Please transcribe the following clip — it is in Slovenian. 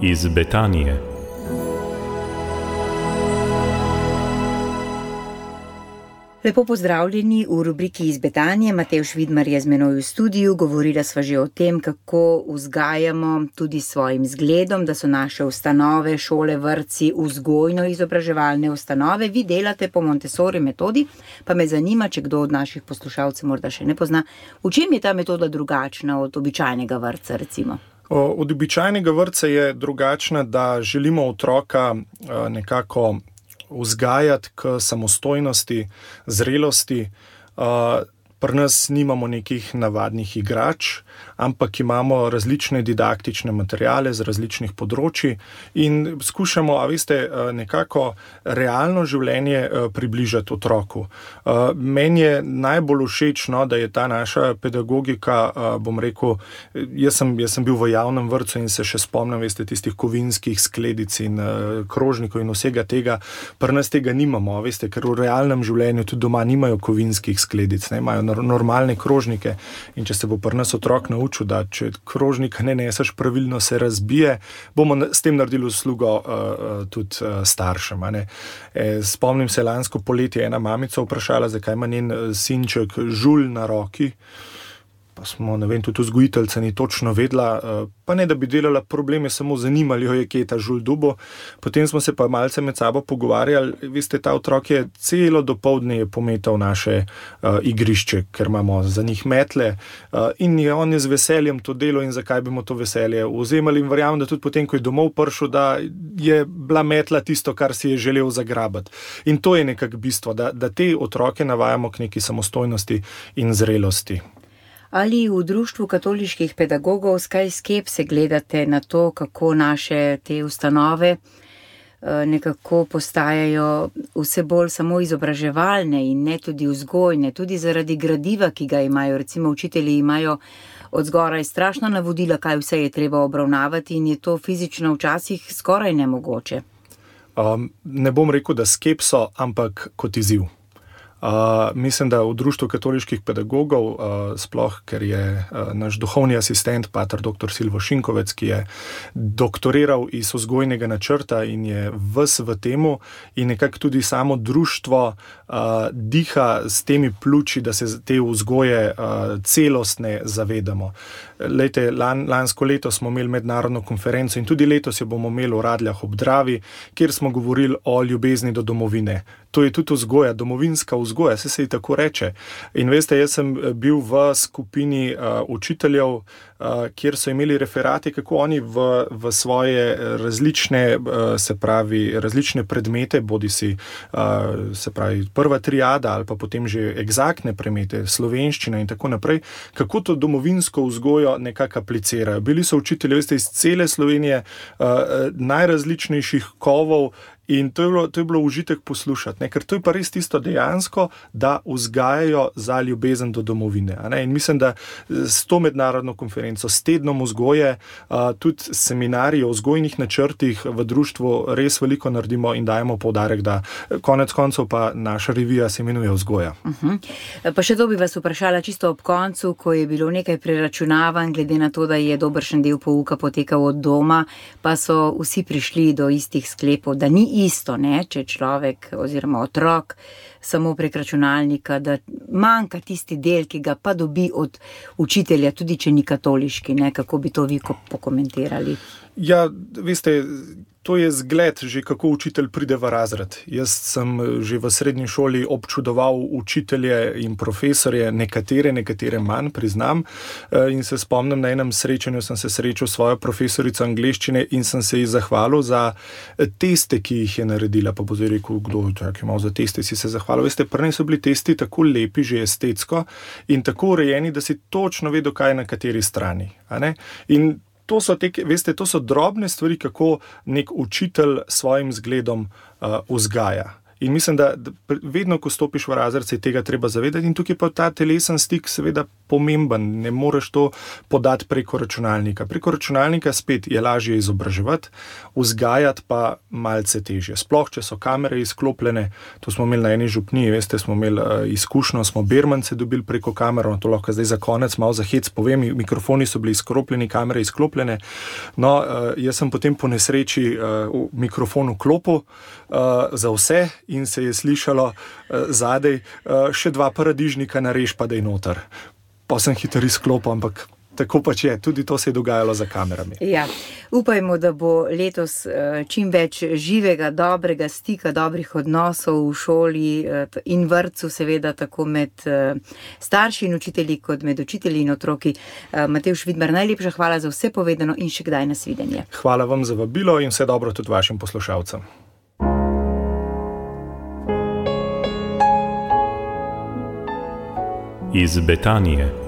iz Betanije. Lepo pozdravljeni v rubriki iz Betanije. Matevž Vidmar je z menoj v studiu. Govorila sva že o tem, kako vzgajamo tudi svojim zgledom, da so naše ustanove, šole, vrtci, vzgojno-izobraževalne ustanove. Vi delate po Montessori metodi, pa me zanima, če kdo od naših poslušalcev morda še ne pozna, v čem je ta metoda drugačna od običajnega vrtca, recimo? Od običajnega vrtca je drugačna, da želimo otroka nekako vzgajati k samostojnosti, zrelosti. Pri nas nimamo nekih navadnih igrač, ampak imamo različne didaktične materiale z različnih področji in skušamo, nekako realno življenje približati otroku. Meni je najbolj všeč, da je ta naša pedagogika, jaz sem bil v javnem vrtcu in se še spomnim, tistih kovinskih skledic in krožnikov in vsega tega. Pri nas tega nimamo, ker v realnem življenju tudi doma nimajo kovinskih skledic, imajo normalne krožnike in če se bo pri nas otrok naučil, da če krožnika ne neseš pravilno, se razbije, bomo s tem naredili uslugo tudi staršem. Spomnim se, lansko poletje ena mamica vprašala, zakaj ima njen sinček žulj na roki. Pa smo, tudi vzgojiteljica ni točno vedela, pa ne da bi delala probleme, samo zanimali jo je, kje je ta žulj dubo. Potem smo se pa malce med sabo pogovarjali, ta otrok je celo dopoldne pometal naše igrišče, ker imamo za njih metle in on je z veseljem to delo in zakaj bi mu to veselje vzemali in verjamem, da tudi potem, ko je domov prišel, da je bila metla tisto, kar si je želel zagrabati. In to je nekako bistvo, da te otroke navajamo k neki samostojnosti in zrelosti. Ali v Društvu katoliških pedagogov s kaj skepse gledate na to, kako naše te ustanove nekako postajajo vse bolj samo izobraževalne in ne tudi vzgojne, tudi zaradi gradiva, ki ga imajo. Recimo učitelji imajo od zgoraj strašna navodila, kaj vse je treba obravnavati in je to fizično včasih skoraj nemogoče. Ne bom rekel, da skepso, ampak kot izziv. Mislim, da v Društvu katoliških pedagogov, sploh, ker je naš duhovni asistent, pater dr. Silvo Šinkovec, ki je doktoriral iz vzgojnega načrta in je ves v temu in nekako tudi samo društvo diha s temi pljuči, da se te vzgoje celostne zavedamo. Lejte, lansko leto smo imeli mednarodno konferenco in tudi letos jo bomo imeli v Radljah ob Dravi, kjer smo govorili o ljubezni do domovine. To je tudi vzgoja, domovinska vzgoja, se ji tako reče. In jaz sem bil v skupini učiteljev, kjer so imeli referati, kako oni v svoje različne, različne predmete, bodisi prva triada ali pa potem že eksaktne predmete, slovenščina in tako naprej, kako to domovinsko vzgojo nekako aplicirajo. Bili so učitelji, iz cele Slovenije, najrazličnejših kovov. In to je bilo užitek poslušati, ker to je pa res tisto dejansko, da vzgajajo za ljubezen do domovine. In mislim, da s to mednarodno konferenco, s tednom vzgoje, tudi seminarji o vzgojnih načrtih v društvu res veliko naredimo in dajemo poudarek, da konec koncev pa naša revija se imenuje Vzgoja. Pa še to bi vas vprašala čisto ob koncu, ko je bilo nekaj preračunavanj, glede na to, da je dobršen del pouka potekal od doma, pa so vsi prišli do istih sklepov, da ni isto, če človek oziroma otrok samo prek računalnika, da manjka tisti del, ki ga pa dobi od učitelja, tudi če ni katoliški, kako bi to vi pokomentirali? Ja, to je zgled že, kako učitelj pride v razred. Jaz sem že v srednji šoli občudoval učitelje in profesorje, nekatere manj, priznam. In se spomnim, na enem srečanju sem se srečal s svojo profesorico angleščine in sem se ji zahvalil za teste, ki jih je naredila. Pa bo zdaj rekel, kdo je imel za teste, si se zahvalil. Prvi so bili testi tako lepi, že estetsko in tako urejeni, da si točno vedel, kaj je na kateri strani. In to so drobne stvari, kako nek učitelj svojim zgledom vzgaja. In mislim, da vedno, ko stopiš v razred, se tega treba zavedati in tukaj pa ta telesen stik seveda pomemben, ne moreš to podati preko računalnika. Preko računalnika spet je lažje izobraževati, vzgajati pa malce težje. Sploh, če so kamere izklopljene, to smo imeli na eni župniji, veste, smo imeli izkušnjo, smo bermance dobili preko kamer, to lahko zdaj za konec malo za hec povem, mikrofoni so bili izklopljeni, kamere izklopljene. No, jaz sem potem po nesreči mikrofon vklopil za vse in se je slišalo zadej še 2 paradižnika narež pa daj noter. Pa sem hitro izklopil, ampak tako pač je, tudi to se je dogajalo za kamerami. Ja, upajmo, da bo letos čim več živega, dobrega stika, dobrih odnosov v šoli in vrtcu, seveda tako med starši in učitelji, kot med učitelji in otroki. Matevž Vidmar, najlepša hvala za vse povedano in še kdaj nasvidenje. Hvala vam za vabilo in vse dobro tudi vašim poslušalcem. Iz Betanije.